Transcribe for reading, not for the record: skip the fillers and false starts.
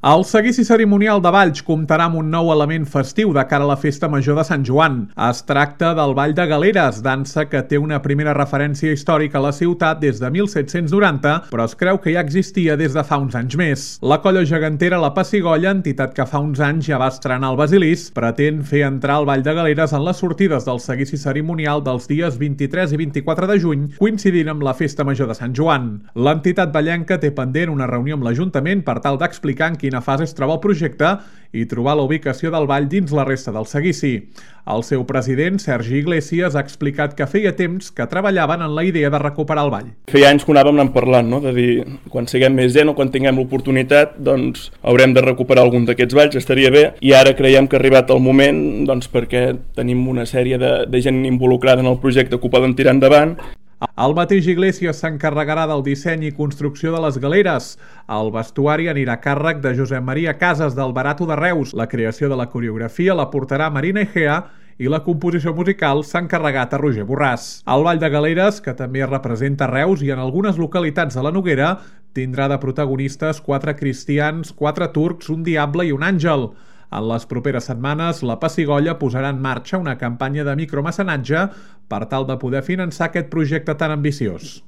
El seguici cerimonial de Valls comptarà amb un nou element festiu de cara a la Festa Major de Sant Joan. Es tracta del Ball de Galeres, dansa que té una primera referència històrica a la ciutat des de 1790, però es creu que ja existia des de fa uns anys més. La colla gegantera La Pessigolles, entitat que fa uns anys ja va estrenar el Basilisc, pretén fer entrar el Ball de Galeres en les sortides del seguici cerimonial dels dies 23 i 24 de juny, coincidint amb la Festa Major de Sant Joan. L'entitat vallenca té pendent una reunió amb l'Ajuntament per tal d'explicar en quina fase es troba el projecte i trobar la ubicació del ball dins la resta del seguici. El seu president, Sergi Iglesias, ha explicat que feia temps que treballaven en la idea de recuperar el ball. Feia anys que anàvem anant parlant, no? De dir, quan siguem més gent o quan tinguem l'oportunitat, doncs haurem de recuperar algun d'aquests balls, estaria bé, i ara creiem que ha arribat el moment, doncs perquè tenim una sèrie de gent involucrada en el projecte que ho poden tirar endavant. El mateix Iglesias s'encarregarà del disseny i construcció de les galeres. El vestuari anirà a càrrec de Josep Maria Casas del Barato de Reus. La creació de la coreografia la portarà Marina Egea i la composició musical s'ha encarregat a Roger Borràs. El Ball de Galeres, que també es representa a Reus i en algunes localitats de la Noguera, tindrà de protagonistes 4 cristians, 4 turcs, un diable i un àngel. En les properes setmanes, La Pessigolles posarà en marxa una campanya de micromecenatge per tal de poder finançar aquest projecte tan ambiciós.